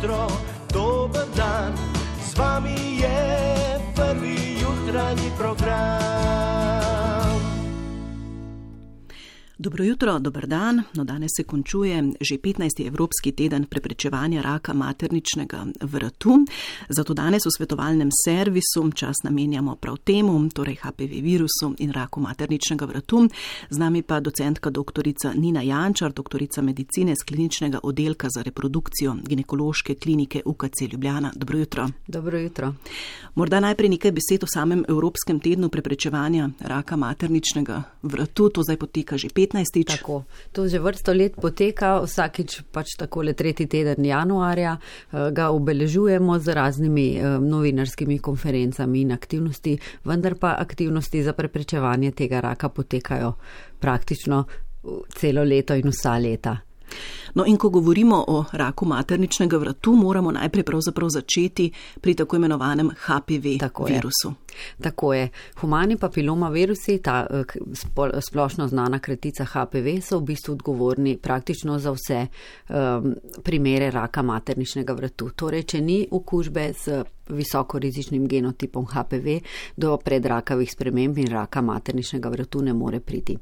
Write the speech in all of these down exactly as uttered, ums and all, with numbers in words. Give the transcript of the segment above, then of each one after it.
jutro, dober dan, z vami je prvi jutranji program. Dobro jutro, dober dan. No, danes se končuje že petnajsti Evropski teden preprečevanja raka materničnega vratu. Zato danes v svetovalnem servisu čas namenjamo prav temu, torej H P V virusu in raku materničnega vratu. Z nami pa docentka doktorica Nina Jančar, doktorica medicine z kliničnega oddelka za reprodukcijo ginekološke klinike U K C Ljubljana. Dobro jutro. Dobro jutro. Morda najprej nekaj besed o samem Evropskem tednu preprečevanja raka materničnega vratu. To zdaj poteka že petnajstič. Tako, to že vrsto let poteka, vsakič pač takole tretji teden januarja ga obeležujemo z raznimi novinarskimi konferencami in aktivnosti, vendar pa aktivnosti za preprečevanje tega raka potekajo praktično celo leto in vsa leta. No in ko govorimo o raku materničnega vratu, moramo najprej pravzaprav začeti pri tako imenovanem H P V Tako virusu. Je. Tako je. Humani papiloma virusi, ta splošno znana kratica H P V, so v bistvu odgovorni praktično za vse um, primere raka materničnega vratu. Torej, če ni okužbe z visokorizičnim genotipom H P V, do predrakavih sprememb in raka materničnega vratu ne more priti.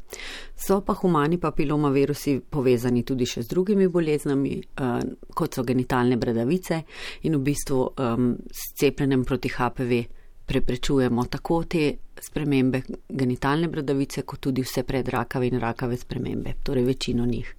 So pa humani papiloma virusi povezani tudi še z drugimi boleznami, uh, kot so genitalne bradavice, in v bistvu um, s cepljenjem proti H P V preprečujemo tako te spremembe genitalne bradavice, kot tudi vse predrakave in rakave spremembe, torej večino njih.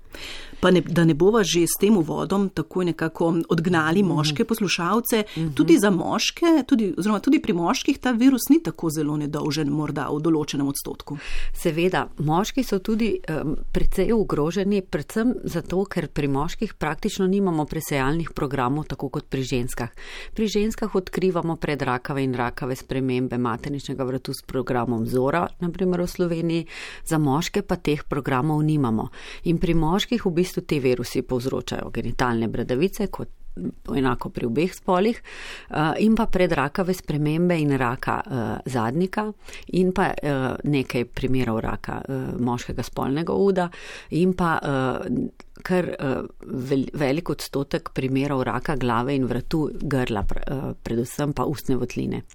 Pa ne, da ne bova že s tem uvodom tako nekako odgnali moške poslušalce, mm-hmm. tudi za moške, tudi, oziroma tudi pri moških ta virus ni tako zelo nedolžen, morda v določenem odstotku. Seveda, moški so tudi um, precej ogroženi, predvsem zato, ker pri moških praktično nimamo presejalnih programov, tako kot pri ženskah. Pri ženskah odkrivamo predrakave in rakave spremembe materničnega vratu s programom Zora, naprimer v Sloveniji, za moške pa teh programov nimamo. In pri moških v bistvu te virusi povzročajo genitalne bradavice, kot enako pri obeh spolih, in pa predrakave spremembe in raka zadnjika, in pa nekaj primerov raka moškega spolnega uda, in pa kar velik odstotek primerov raka glave in vratu grla, predvsem pa ustne votline.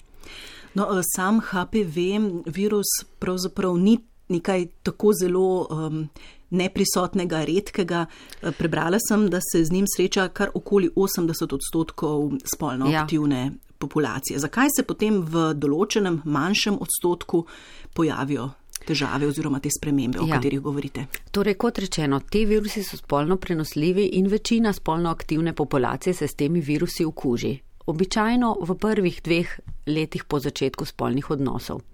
No, sam H P V virus pravzaprav ni nekaj tako zelo um, neprisotnega, redkega. Prebrala sem, da se z njim sreča kar okoli osemdeset odstotkov spolno aktivne ja. populacije. Zakaj se potem v določenem manjšem odstotku pojavijo težave oziroma te spremembe, o ja. katerih govorite? Torej, kot rečeno, te virusi so spolno prenosljivi in večina spolno aktivne populacije se s temi virusi okuži. Običajno v prvih dveh letih po začetku spolnih odnosov.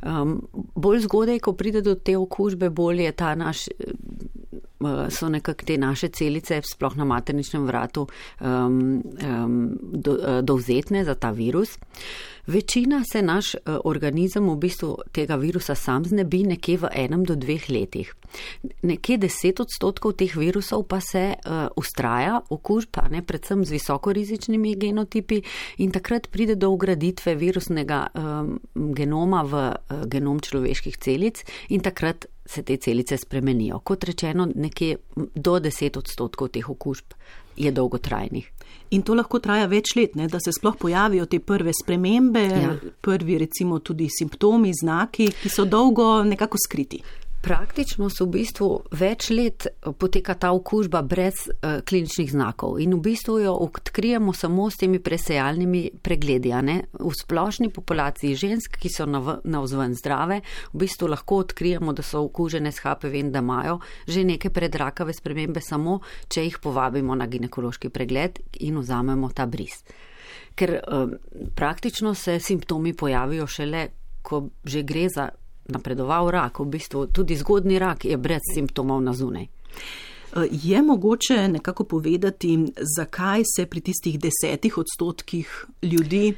Um, bolj zgodaj, ko pride do te okužbe, bolj je ta naš, uh, so nekako te naše celice, sploh na materničnem vratu, um, um, do, uh, dovzetne za ta virus. Večina se naš uh, organizem v bistvu tega virusa sam znebi nekje v enem do dveh letih. Nekje deset odstotkov teh virusov pa se uh, ustraja, okužba, ne, predvsem z visokorizičnimi genotipi, in takrat pride do vgraditve virusnega um, genoma v uh, genom človeških celic in takrat se te celice spremenijo. Kot rečeno, nekje do deset odstotkov teh okužb je dolgotrajnih. In to lahko traja več let, ne, da se sploh pojavijo te prve spremembe, ja. prvi recimo tudi simptomi, znaki, ki so dolgo nekako skriti. Praktično so v bistvu več let poteka ta okužba brez uh, kliničnih znakov in v bistvu jo odkrijemo samo s temi presejalnimi pregledi. Ne? V splošni populaciji žensk, ki so navzven zdrave, v bistvu lahko odkrijemo, da so okužene s H P V in da imajo že neke predrakave spremembe, samo če jih povabimo na ginekološki pregled in vzamemo ta bris. Ker uh, praktično se simptomi pojavijo šele, ko že gre za napredoval rak, v bistvu tudi zgodni rak je brez simptomov na zunaj. Je mogoče nekako povedati, zakaj se pri tistih desetih odstotkih ljudi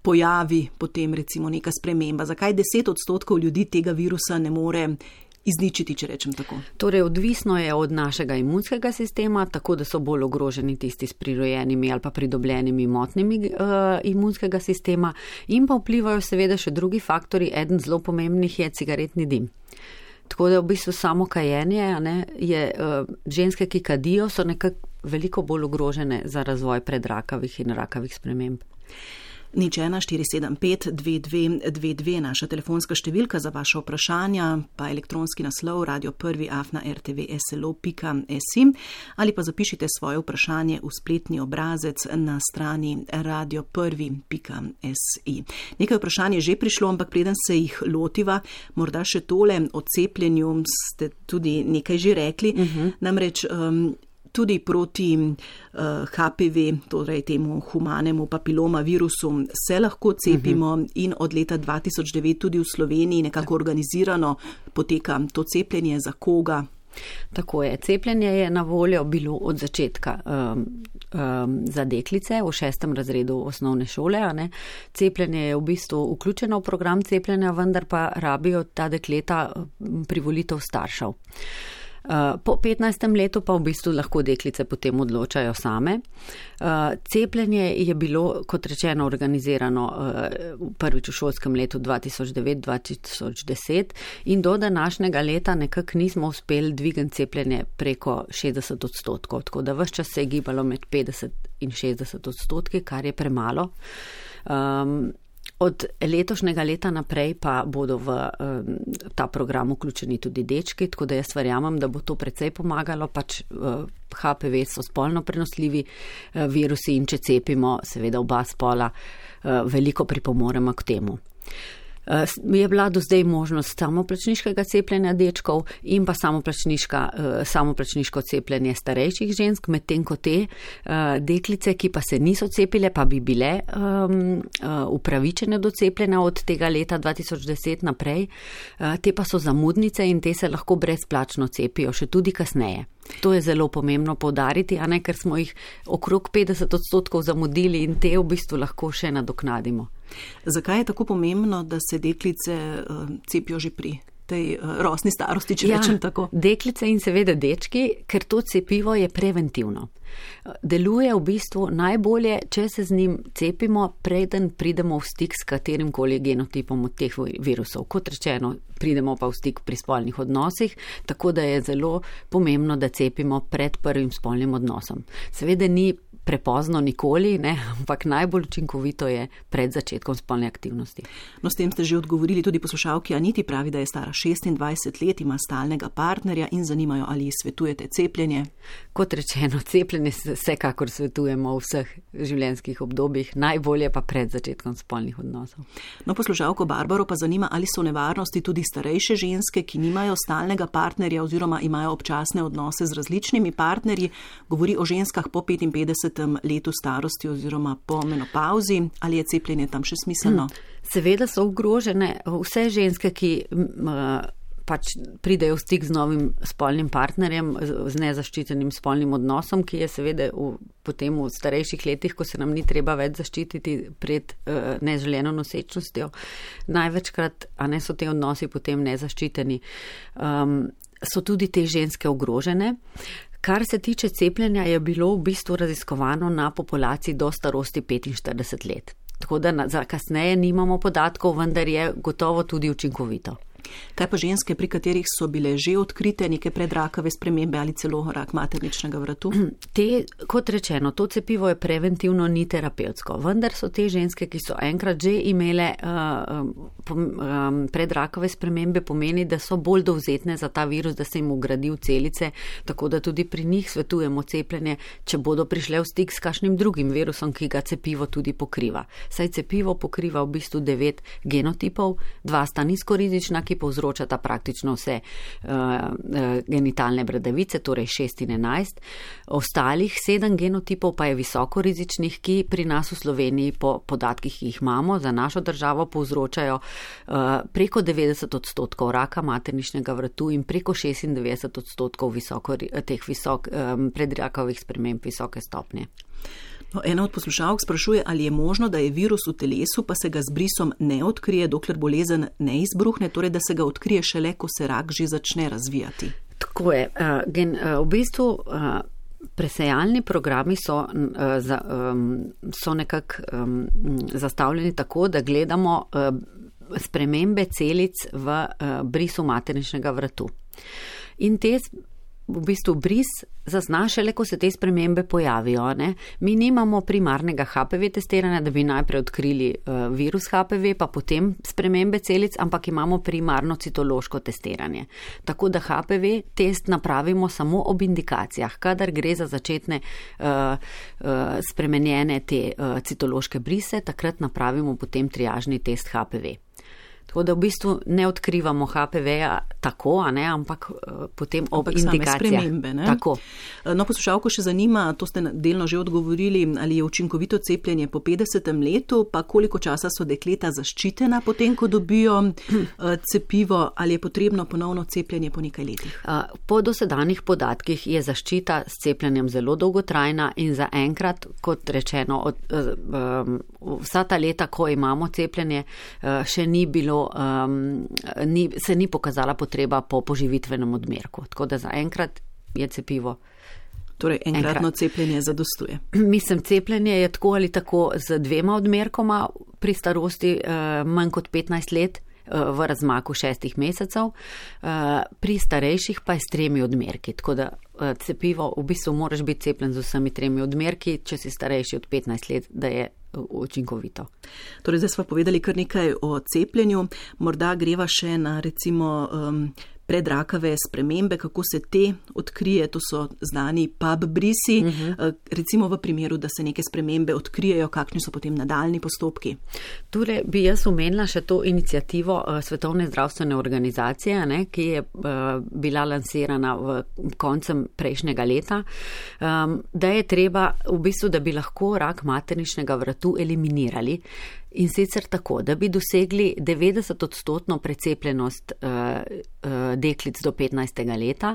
pojavi potem recimo neka sprememba? Zakaj deset odstotkov ljudi tega virusa ne more izničiti, če rečem tako? Torej, odvisno je od našega imunskega sistema, tako da so bolj ogroženi tisti s prirojenimi ali pa pridobljenimi motnjami uh, imunskega sistema, in pa vplivajo seveda še drugi faktori. Eden zelo pomembnih je cigaretni dim. Tako da v bistvu samo kajenje, ne, je, uh, ženske, ki kadijo, so nekako veliko bolj ogrožene za razvoj predrakavih in rakavih sprememb. Nič ena štiri sedem pet dve dve dve dve, naša telefonska številka za vaše vprašanja, pa elektronski naslov radio prvi afna er te ve es el o pika es i ali pa zapišite svoje vprašanje v spletni obrazec na strani radio prvi pika es i. Nekaj vprašanje je že prišlo, ampak preden se jih lotiva, morda še tole o cepljenju ste tudi nekaj že rekli, uh-huh. namreč um, tudi proti uh, ha pe ve, torej temu humanemu papiloma virusu, se lahko cepimo uh-huh. in od leta dva tisoč devet tudi v Sloveniji nekako organizirano poteka to cepljenje. Za koga? Tako je. Cepljenje je na voljo bilo od začetka um, um, za deklice v šestem razredu osnovne šole. A ne? Cepljenje je v bistvu vključeno v program cepljenja, vendar pa rabijo ta dekleta privolitev staršev. Po petnajstem letu pa v bistvu lahko deklice potem odločajo same. Cepljenje je bilo, kot rečeno, organizirano prvič v šolskem letu dva tisoč devet dva tisoč deset in do današnjega leta nekako nismo uspeli dvigati cepljenje preko šestdeset odstotkov, tako da ves čas se je gibalo med petdeset in šestdeset odstotki, kar je premalo. Um, Od letošnjega leta naprej pa bodo v um, ta program vključeni tudi dečki, tako da jaz verjamem, da bo to precej pomagalo, pač uh, ha pe ve so spolno prenosljivi uh, virusi in če cepimo, seveda oba spola, uh, veliko pripomoremo k temu. Je bila do zdaj možnost samoplačniškega cepljenja dečkov in pa samoplačniška, samoplačniško cepljenje starejših žensk, medtem ko te deklice, ki pa se niso cepile, pa bi bile um, upravičene do cepljenja od tega leta dva tisoč deset naprej, te pa so zamudnice in te se lahko brezplačno cepijo še tudi kasneje. To je zelo pomembno poudariti, a ne, ker smo jih okrog petdeset odstotkov zamudili in te v bistvu lahko še nadoknadimo. Zakaj je tako pomembno, da se deklice uh, cepijo že pri tej uh, rosni starosti, če ja, rečem tako? Deklice in seveda dečki, ker to cepivo je preventivno. Deluje v bistvu najbolje, če se z njim cepimo, preden pridemo v stik s katerim koli genotipom od teh virusov. Kot rečeno, pridemo pa v stik pri spolnih odnosih, tako da je zelo pomembno, da cepimo pred prvim spolnim odnosom. Seveda ni prepozno nikoli, ne, ampak najbolj učinkovito je pred začetkom spolne aktivnosti. No, s tem ste že odgovorili tudi poslušalki Aniti, pravi, da je stara šestindvajset let, ima stalnega partnerja in zanimajo, ali svetujete cepljenje. Kot rečeno, cepljenje vsekakor svetujemo v vseh življenjskih obdobjih, najbolje pa pred začetkom spolnih odnosov. No, poslušalko Barbaro pa zanima, ali so nevarnosti tudi starejše ženske, ki nimajo stalnega partnerja oziroma imajo občasne odnose z različnimi partnerji, govori o ženskah po petinpetdesetem letu starosti oziroma po menopauzi, ali je cepljenje tam še smiselno? Seveda so ogrožene vse ženske, ki pač pridejo v stik z novim spolnim partnerjem, z nezaščitenim spolnim odnosom, ki je seveda v, potem v starejših letih, ko se nam ni treba več zaščititi pred uh, neželeno nosečnostjo. Največkrat, a ne so te odnosi potem nezaščiteni, um, so tudi te ženske ogrožene. Kar se tiče cepljenja, je bilo v bistvu raziskovano na populaciji do starosti petinštirideset let. Tako da na, za kasneje nimamo podatkov, vendar je gotovo tudi učinkovito. Kaj pa ženske, pri katerih so bile že odkrite neke predrakave spremembe ali celo rak materničnega vratu? Te, kot rečeno, to cepivo je preventivno, ni terapevtsko, vendar so te ženske, ki so enkrat že imele uh, um, predrakave spremembe, pomeni, da so bolj dovzetne za ta virus, da se jim ugradi v celice, tako da tudi pri njih svetujemo cepljenje, če bodo prišle v stik s kakšnim drugim virusom, ki ga cepivo tudi pokriva. Saj cepivo pokriva v bistvu devet genotipov, dva sta nizkorizična, ki povzročata praktično vse uh, uh, genitalne bradavice, torej šest in enajst. Ostalih sedem genotipov pa je visokorizičnih, ki pri nas v Sloveniji po podatkih, ki jih imamo, za našo državo povzročajo uh, preko devetdeset odstotkov raka materničnega vratu in preko šestindevetdeset odstotkov visoko, teh visok, um, predrakavih sprememb visoke stopnje. No, ena od poslušalk sprašuje, ali je možno, da je virus v telesu, pa se ga z brisom ne odkrije, dokler bolezen ne izbruhne, torej da se ga odkrije šele, ko se rak že začne razvijati. Tako je. Uh, gen, uh, v bistvu uh, presejalni programi so, uh, za, um, so nekako um, zastavljeni tako, da gledamo uh, spremembe celic v uh, brisu materničnega vratu. In te v bistvu bris zazna šele, ko se te spremembe pojavijo. Ne? Mi nimamo primarnega H P V testiranja, da bi najprej odkrili uh, virus H P V, pa potem spremembe celic, ampak imamo primarno citološko testiranje. Tako da H P V test napravimo samo ob indikacijah, kadar gre za začetne uh, uh, spremenjene te uh, citološke brise, takrat napravimo potem triažni test H P V. Tako da v bistvu ne odkrivamo H P V-ja tako, a ne, ampak uh, potem ob ampak indikacijah. Same spremembe, ne? Tako. No, poslušalko še zanima, to ste delno že odgovorili, ali je učinkovito cepljenje po petdesetem letu, pa koliko časa so dekleta zaščitena potem, ko dobijo uh, cepivo, ali je potrebno ponovno cepljenje po nekaj letih? Uh, po dosedanjih podatkih je zaščita s cepljenjem zelo dolgotrajna in za enkrat, kot rečeno, od, uh, um, vsa ta leta, ko imamo cepljenje, uh, še ni bilo Um, ni, se ni pokazala potreba po poživitvenem odmerku. Tako da zaenkrat je cepivo. Torej, enkratno enkrat. Cepljenje zadostuje. Mislim, cepljenje je tako ali tako z dvema odmerkoma pri starosti uh, manj kot petnajst let uh, v razmaku šestih mesecev, uh, pri starejših pa je s tremi odmerki. Tako da uh, cepivo, v bistvu moraš biti cepljen z vsemi tremi odmerki, če si starejši od petnajst let, da je učinkovito. Torej, zdaj smo povedali kar nekaj o cepljenju, morda greva še na recimo um, predrakave spremembe, kako se te odkrije, to so znani P A B brisi, uh-huh. recimo v primeru, da se neke spremembe odkrijejo, kakšni so potem nadaljni postopki? Torej, bi jaz omenila še to inicijativo Svetovne zdravstvene organizacije, ne, ki je uh, bila lansirana v koncem prejšnjega leta, um, da je treba v bistvu, da bi lahko rak materničnega vratu eliminirali. In sicer tako, da bi dosegli devetdeset odstotno precepljenost uh, uh, deklic do petnajstega leta,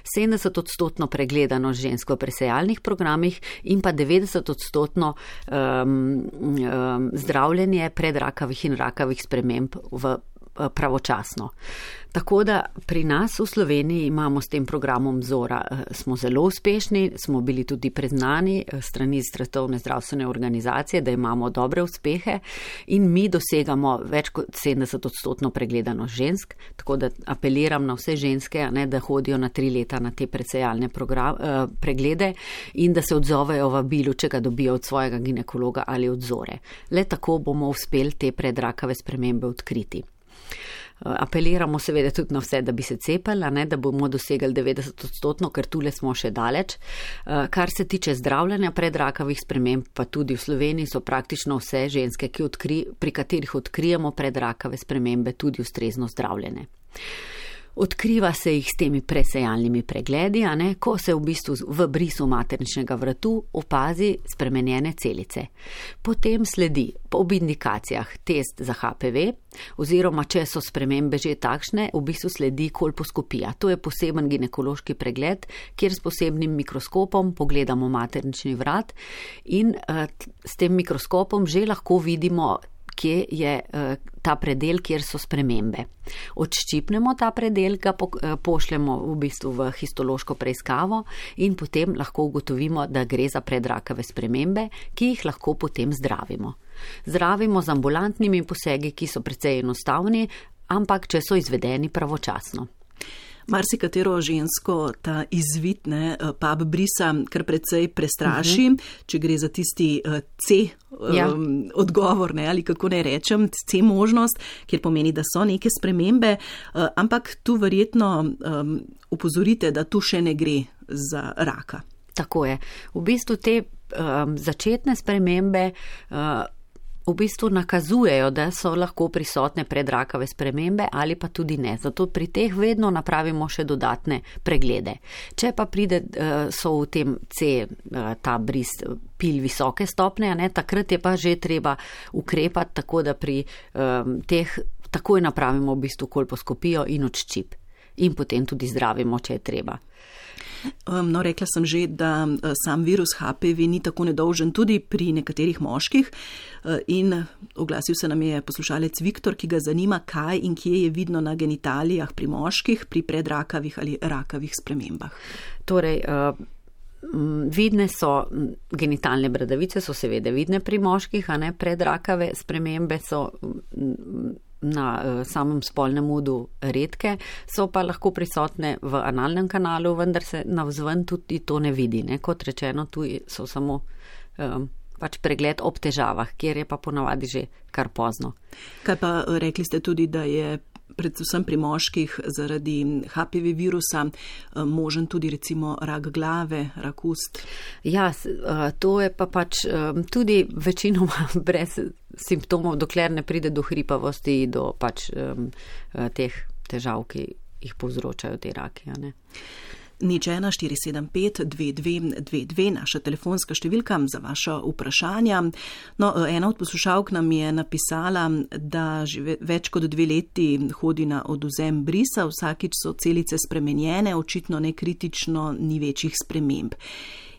sedemdeset odstotno pregledanost žensk v presejalnih programih in pa devetdeset odstotno um, um, zdravljenje predrakavih in rakavih sprememb v pravočasno. Tako da pri nas v Sloveniji imamo s tem programom Zora, smo zelo uspešni, smo bili tudi priznani strani Svetovne zdravstvene organizacije, da imamo dobre uspehe in mi dosegamo več kot sedemdeset odstotno pregledanost žensk, tako da apeliram na vse ženske, ne, da hodijo na tri leta na te presejalne program, eh, preglede in da se odzovejo vabilu, če ga dobijo od svojega ginekologa ali od Zore. Le tako bomo uspeli te predrakave spremembe odkriti. Apeliramo seveda tudi na vse, da bi se cepili, ne, da bomo dosegli devetdeset odstotno, ker tule smo še daleč. Kar se tiče zdravljenja predrakavih sprememb, pa tudi v Sloveniji so praktično vse ženske, ki odkri, pri katerih odkrijemo predrakave spremembe, tudi ustrezno zdravljene. Odkriva se jih s temi presejalnimi pregledi, a ne, ko se v bistvu v brisu materničnega vratu opazi spremenjene celice. Potem sledi ob indikacijah test za H P V, oziroma če so spremembe že takšne, v bistvu sledi kolposkopija. To je poseben ginekološki pregled, kjer s posebnim mikroskopom pogledamo maternični vrat in uh, s tem mikroskopom že lahko vidimo, kje je uh, ta predel, kjer so spremembe. Odščipnemo ta predel, ga po, uh, pošljemo v bistvu v histološko preiskavo in potem lahko ugotovimo, da gre za predrakave spremembe, ki jih lahko potem zdravimo. Zdravimo z ambulantnimi posegi, ki so precej enostavni, ampak če so izvedeni pravočasno. Marsikatero žensko ta izvid, ne, P A B brisa kar precej prestraši, uh-huh. če gre za tisti uh, C ja. um, odgovor, ne, ali kako naj rečem, C možnost, kjer pomeni, da so neke spremembe, uh, ampak tu verjetno um, upozorite, da tu še ne gre za raka. Tako je. V bistvu te um, začetne spremembe uh, v bistvu nakazujejo, da so lahko prisotne predrakave spremembe ali pa tudi ne. Zato pri teh vedno napravimo še dodatne preglede. Če pa pride, so v tem C, ta bris pil visoke stopne, ne, takrat je pa že treba ukrepati, tako da pri um, teh takoj napravimo v bistvu kolposkopijo in odščip. In potem tudi zdravimo, če je treba. No, rekla sem že, da sam virus H P V ni tako nedolžen tudi pri nekaterih moških in oglasil se nam je poslušalec Viktor, ki ga zanima, kaj in kje je vidno na genitalijah pri moških pri predrakavih ali rakavih spremembah. Torej, vidne so genitalne bradavice, so seveda vidne pri moških, a ne predrakave spremembe so na uh, samem spolnem udu redke, so pa lahko prisotne v analnem kanalu, vendar se navzven tudi to ne vidi. Ne? Kot rečeno, tu so samo um, pač pregled ob težavah, kjer je pa ponavadi že kar pozno. Kaj pa rekli ste tudi, da je predvsem pri moških zaradi H P V virusa možen tudi recimo rak glave, rak ust? Ja, to je pa pač tudi večinoma brez simptomov, dokler ne pride do hripavosti, do pač teh težav, ki jih povzročajo te raki. Ne? Nič ena štiri sedem pet dve dve dve dve, naša telefonska številka za vaša vprašanja. No, ena od poslušalk nam je napisala, da že več kot dve leti hodi na odvzem brisa, vsakič so celice spremenjene, očitno nekritično, ni večjih sprememb.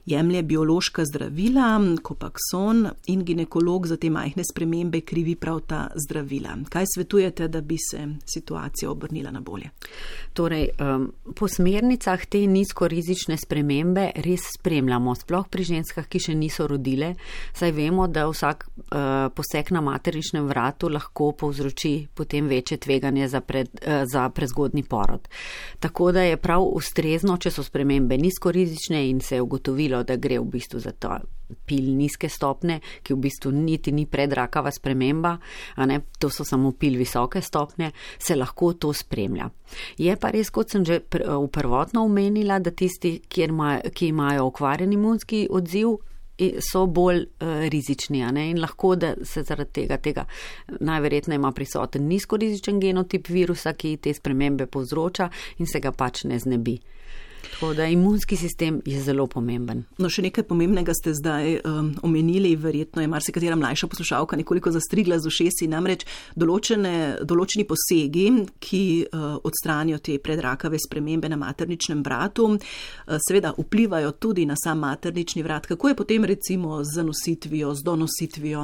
Jemlje biološka zdravila, Copaxone, in ginekolog za te majhne spremembe krivi prav ta zdravila. Kaj svetujete, da bi se situacija obrnila na bolje? Torej, um, po smernicah te nizkorizične spremembe res spremljamo, sploh pri ženskah, ki še niso rodile, saj vemo, da vsak uh, poseg na materničnem vratu lahko povzroči potem večje tveganje za, pred, uh, za prezgodni porod. Tako da je prav ustrezno, če so spremembe nizkorizične in se je ugotovilo, da gre v bistvu za to pil nizke stopne, ki v bistvu niti ni predrakava sprememba, a ne, to so samo pil visoke stopne, se lahko to spremlja. Je pa res, kot sem že pr- v prvotno omenila, da tisti, kjer ima, ki imajo okvarjen imunski odziv, so bolj uh, rizični, a ne, in lahko, da se zaradi tega, tega najverjetneje ima prisoten nizkorizičen genotip virusa, ki te spremembe povzroča in se ga pač ne znebi. Tako da imunski sistem je zelo pomemben. No, še nekaj pomembnega ste zdaj um, omenili, verjetno je marsikatera mlajša poslušalka nekoliko zastrigla z ušesi, namreč določene, določeni posegi, ki uh, odstranijo te predrakave spremembe na materničnem vratu, uh, seveda vplivajo tudi na sam maternični vrat. Kako je potem recimo z zanositvijo, z donositvijo?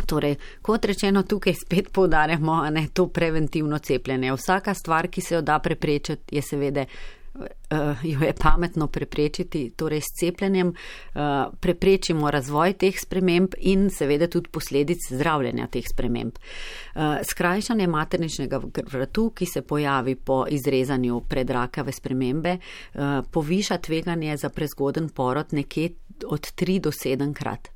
Torej, kot rečeno, tukaj spet poudarjamo, a ne, to preventivno cepljenje. Vsaka stvar, ki se jo da preprečiti, je seveda Uh, jo je pametno preprečiti, torej s cepljenjem uh, preprečimo razvoj teh sprememb in seveda tudi posledic zdravljenja teh sprememb. Uh, skrajšanje materničnega vratu, ki se pojavi po izrezanju predrakave spremembe, uh, poviša tveganje za prezgoden porod nekje od tri do sedem krat.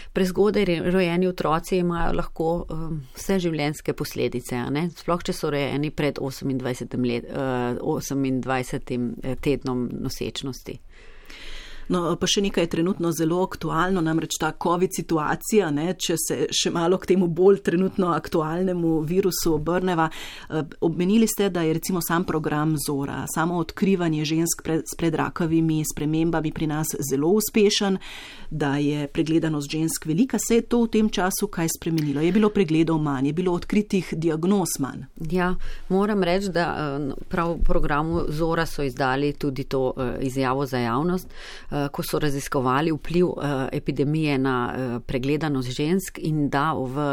Prezgodaj rojeni otroci imajo lahko um, vse življenjske posledice, a ne? Sploh če so rojeni pred osemindvajsetim, let, uh, osemindvajsetim tednom nosečnosti. No, pa še nekaj je trenutno zelo aktualno, namreč ta COVID situacija, ne, če se še malo k temu bolj trenutno aktualnemu virusu obrneva. Omenili ste, da je recimo sam program Zora, samo odkrivanje žensk pred, s predrakavimi spremembami pri nas zelo uspešen, da je pregledanost žensk velika. Se je to v tem času kaj spremenilo? Je bilo pregledov manj, je bilo odkritih diagnoz manj? Ja, moram reči, da prav v programu Zora so izdali tudi to izjavo za javnost, ko so raziskovali vpliv uh, epidemije na uh, pregledanost žensk in da v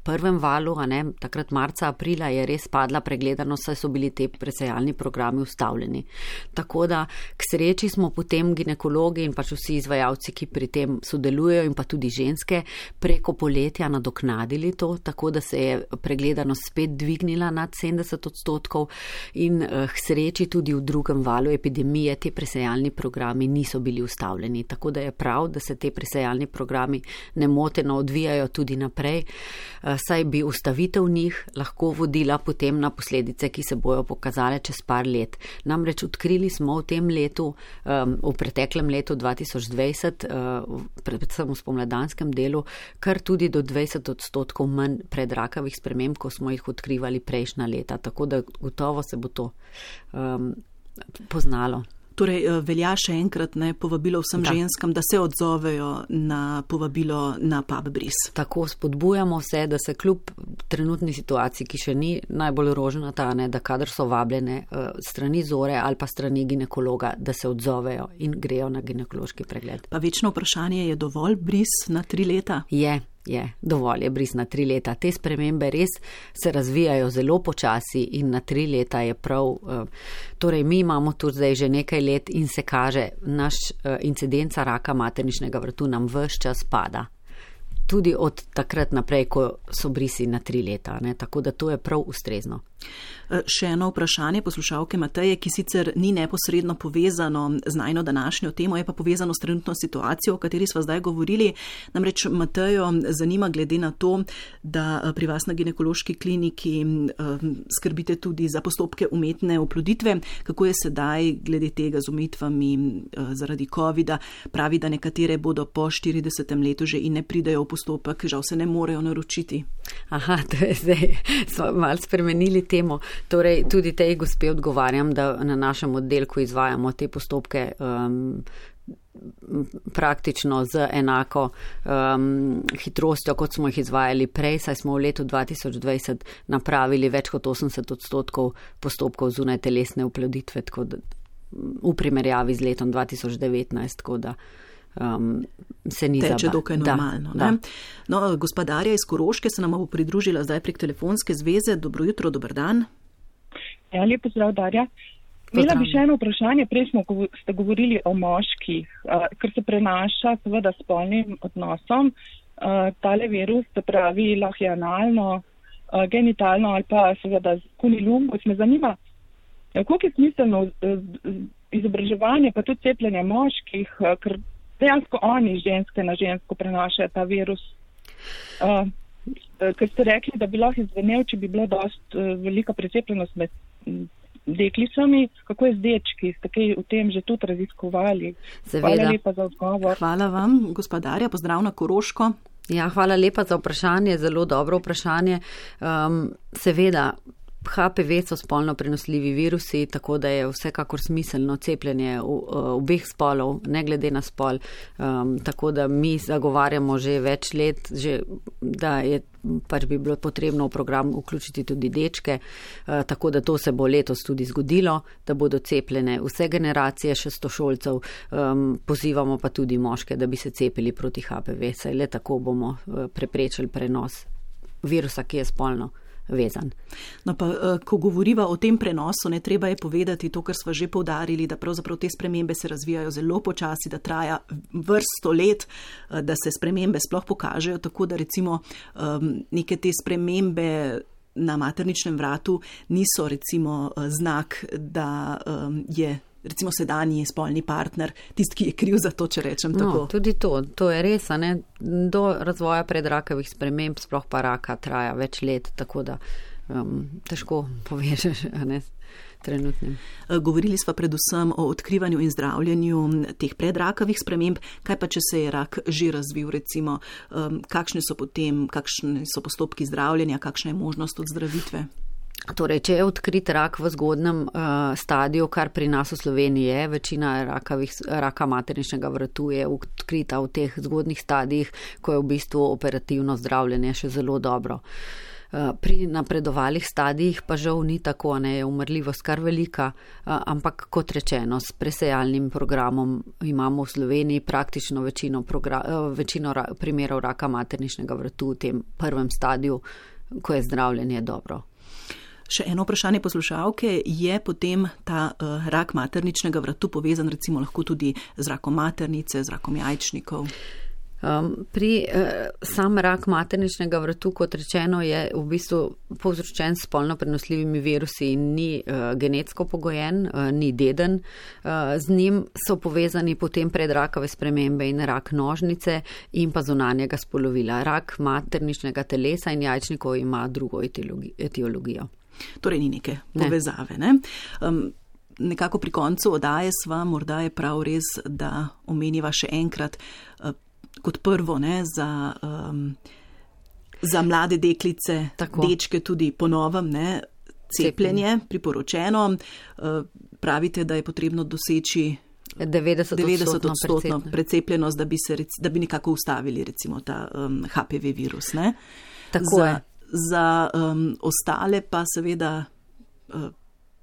prvem valu, a ne, takrat marca, aprila je res padla pregledanost, saj so bili te presejalni programi ustavljeni. Tako da k sreči smo potem ginekologi in pač vsi izvajalci, ki pri tem sodelujejo in pa tudi ženske, preko poletja nadoknadili to, tako da se je pregledanost spet dvignila nad sedemdeset odstotkov in uh, k sreči tudi v drugem valu epidemije te presejalni programi niso bili ustavljeni. Tako da je prav, da se te presejalni programi nemoteno odvijajo tudi naprej, saj bi ustavitev njih lahko vodila potem na posledice, ki se bojo pokazale čez par let. Namreč odkrili smo v tem letu, v preteklem letu dva tisoč dvajset, predvsem v spomladanskem delu, kar tudi do dvajset odstotkov manj predrakavih sprememb, ko smo jih odkrivali prejšnja leta. Tako da gotovo se bo to um, poznalo. Torej, velja še enkrat ne povabilo vsem da. ženskam, da se odzovejo na povabilo na pub bris. Tako spodbujamo vse, da se kljub trenutni situaciji, ki še ni najbolj rožnata, ne, da kadar so vabljene uh, strani Zore ali pa strani ginekologa, da se odzovejo in grejo na ginekološki pregled. Pa večno vprašanje, je dovolj bris na tri leta? Je. Je, dovolj je bris na tri leta. Te spremembe res se razvijajo zelo počasi in na tri leta je prav. Torej, mi imamo tu zdaj že nekaj let in se kaže, naš incidenca raka materničnega vratu nam ves čas pada. tudi od takrat naprej, ko so brisi na tri leta, ne? Tako da to je prav ustrezno. Še eno vprašanje poslušalke Mateje, ki sicer ni neposredno povezano z najno današnjo temo, je pa povezano s trenutno situacijo, o kateri smo zdaj govorili. Namreč Matejo zanima glede na to, da pri vas na ginekološki kliniki skrbite tudi za postopke umetne oploditve. Kako je sedaj glede tega z omejitvami zaradi covida? Pravi, da nekatere bodo po štiridesetem letu že in ne pridejo v postopek, žal se ne morejo naročiti. Aha, to je zdaj, smo malo spremenili temo. Torej, tudi tej gospe odgovarjam, da na našem oddelku izvajamo te postopke um, praktično z enako um, hitrostjo, kot smo jih izvajali prej, saj smo v letu dva tisoč dvajset napravili več kot osemdeset odstotkov postopkov zunaj telesne oploditve, tako da v primerjavi z letom dva tisoč devetnajst, tako da Um, se ni teče dokaj normalno. Da, ne? No, gospa Darja iz Koroške se nam bo pridružila zdaj prek telefonske zveze. Dobro jutro, dober dan. Ja, lep pozdrav, Darja. Imela bi še eno vprašanje. Prej smo ste govorili o moških, uh, ker se prenaša seveda s spolnim odnosom. Uh, tale virus, se pravi lahko je analno, uh, genitalno ali pa seveda kunilungus. Me zanima, koliko je smiselno uh, izobraževanje pa tudi cepljenje moških, uh, ker dejansko oni ženske na žensko prenašajo ta virus. Uh, ker ste rekli, da bi lahko izvenel, če bi bila dost uh, velika precepljenost med deklicami. Kako je z dečki? Ste kaj v tem že tudi raziskovali? Seveda. Hvala lepa za odgovor. Hvala vam, gospodarja. Pozdrav na Koroško. Ja, hvala lepa za vprašanje. Zelo dobro vprašanje. Um, seveda, H P V so spolno prenosljivi virusi, tako da je vsekakor smiselno cepljenje obeh spolov, ne glede na spol. Um, tako da mi zagovarjamo že več let, že, da je pač bi bilo potrebno v program vključiti tudi dečke, uh, tako da to se bo letos tudi zgodilo, da bodo cepljene vse generacije šestošolcev, um, pozivamo pa tudi moške, da bi se cepili proti H P V, saj le tako bomo uh, preprečili prenos virusa, ki je spolno vezan. No pa, ko govoriva o tem prenosu, ne treba je povedati to, kar sva že poudarili, da pravzaprav te spremembe se razvijajo zelo počasi, da traja vrsto let, da se spremembe sploh pokažejo, tako da recimo neke te spremembe na materničnem vratu niso recimo znak, da je recimo sedanji spolni partner tisti, ki je kriv za to, če rečem tako. No, tudi to, to je res, a ne, do razvoja predrakavih sprememb, sploh pa raka traja več let, tako da um, težko povežeš, a ne, trenutnim. Govorili sva predvsem o odkrivanju in zdravljenju teh predrakavih sprememb, kaj pa, če se je rak že razvil, recimo, um, kakšne so potem, kakšne so postopki zdravljenja, kakšna je možnost odzdravidve? Torej, če je odkrit rak v zgodnem uh, stadiju, kar pri nas v Sloveniji je, večina rakavih, raka materničnega vratu je odkrita v teh zgodnih stadijih, ko je v bistvu operativno zdravljenje še zelo dobro. Uh, pri napredovalih stadijih pa žal ni tako, ne, je umrljivost kar velika, uh, ampak kot rečeno, s presejalnim programom imamo v Sloveniji praktično večino, progra- uh, večino ra- primerov raka materničnega vratu v tem prvem stadiju, ko je zdravljenje dobro. Še eno vprašanje poslušalke, je potem ta uh, rak materničnega vratu povezan recimo lahko tudi z rakom maternice, z rakom jajčnikov? Um, pri uh, sam rak materničnega vratu, kot rečeno, je v bistvu povzročen s spolno prenosljivimi virusi in ni uh, genetsko pogojen, uh, ni deden. Uh, z njim so povezani potem predrakave spremembe in rak nožnice in pa zunanjega spolovila. Rak materničnega telesa in jajčnikov ima drugo etiologijo. Torej ni neke povezave. Ne? Um, nekako pri koncu oddaje sva, morda je prav res, da omeniva še enkrat uh, kot prvo, ne, za, um, za mlade deklice, tako. Dečke tudi po novem, ne, cepljenje, priporočeno. Uh, pravite, da je potrebno doseči devetdeset odstotno precepljenost, da bi, se, da bi nekako ustavili recimo ta um, H P V virus. Ne? Tako za, je. Za um, ostale pa seveda uh,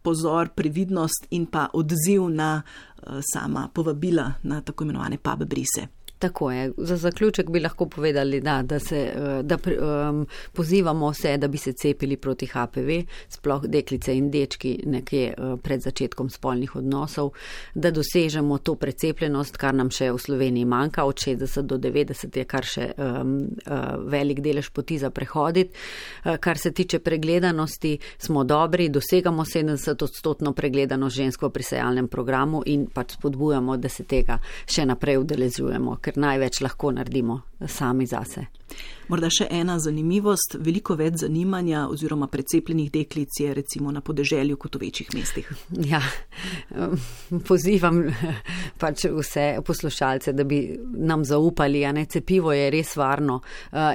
pozor, previdnost in pa odziv na uh, sama povabila, na tako imenovane pub brise. Tako je. Za zaključek bi lahko povedali, da, da, se, da um, pozivamo vse, da bi se cepili proti H P V, sploh deklice in dečki nekje pred začetkom spolnih odnosov, da dosežemo to precepljenost, kar nam še v Sloveniji manjka, od šestdeset do devetdeset je kar še um, uh, velik delež poti za prehoditi. Uh, kar se tiče pregledanosti, smo dobri, dosegamo sedemdeset odstotno pregledanost žensk v prisejalnem programu in pač spodbujamo, da se tega še naprej udeležujemo, ker največ lahko naredimo sami zase. Morda še ena zanimivost, veliko več zanimanja oziroma precepljenih deklic je recimo na podeželju kot v večjih mestih. Ja, pozivam pač vse poslušalce, da bi nam zaupali, a ne, cepivo je res varno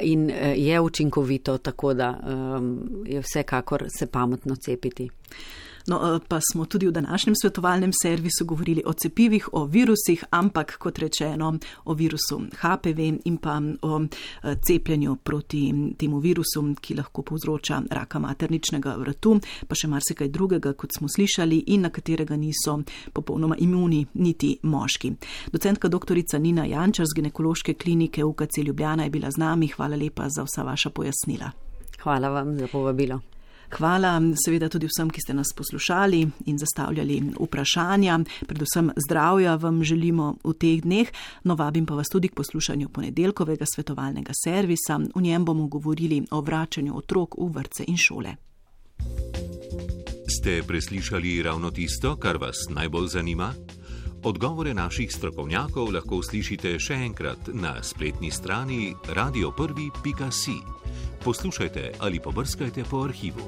in je učinkovito, tako da je vsekakor se pametno cepiti. No, pa smo tudi v današnjem svetovalnem servisu govorili o cepivih, o virusih, ampak kot rečeno o virusu H P V in pa o cepljenju proti temu virusu, ki lahko povzroča raka materničnega vratu, pa še marsikaj drugega, kot smo slišali in na katerega niso popolnoma imuni niti moški. Docentka doktorica Nina Jančar z ginekološke klinike U K C Ljubljana je bila z nami. Hvala lepa za vsa vaša pojasnila. Hvala vam za povabilo. Hvala seveda tudi vsem, ki ste nas poslušali in zastavljali vprašanja. Predvsem zdravja vam želimo v teh dneh. No, vabim pa vas tudi k poslušanju ponedeljkovega svetovalnega servisa. V njem bomo govorili o vračanju otrok v vrtce in šole. Ste preslišali ravno tisto, kar vas najbolj zanima? Odgovore naših strokovnjakov lahko slišite še enkrat na spletni strani radio prvi pika si. Poslušajte ali pobrskajte po arhivu.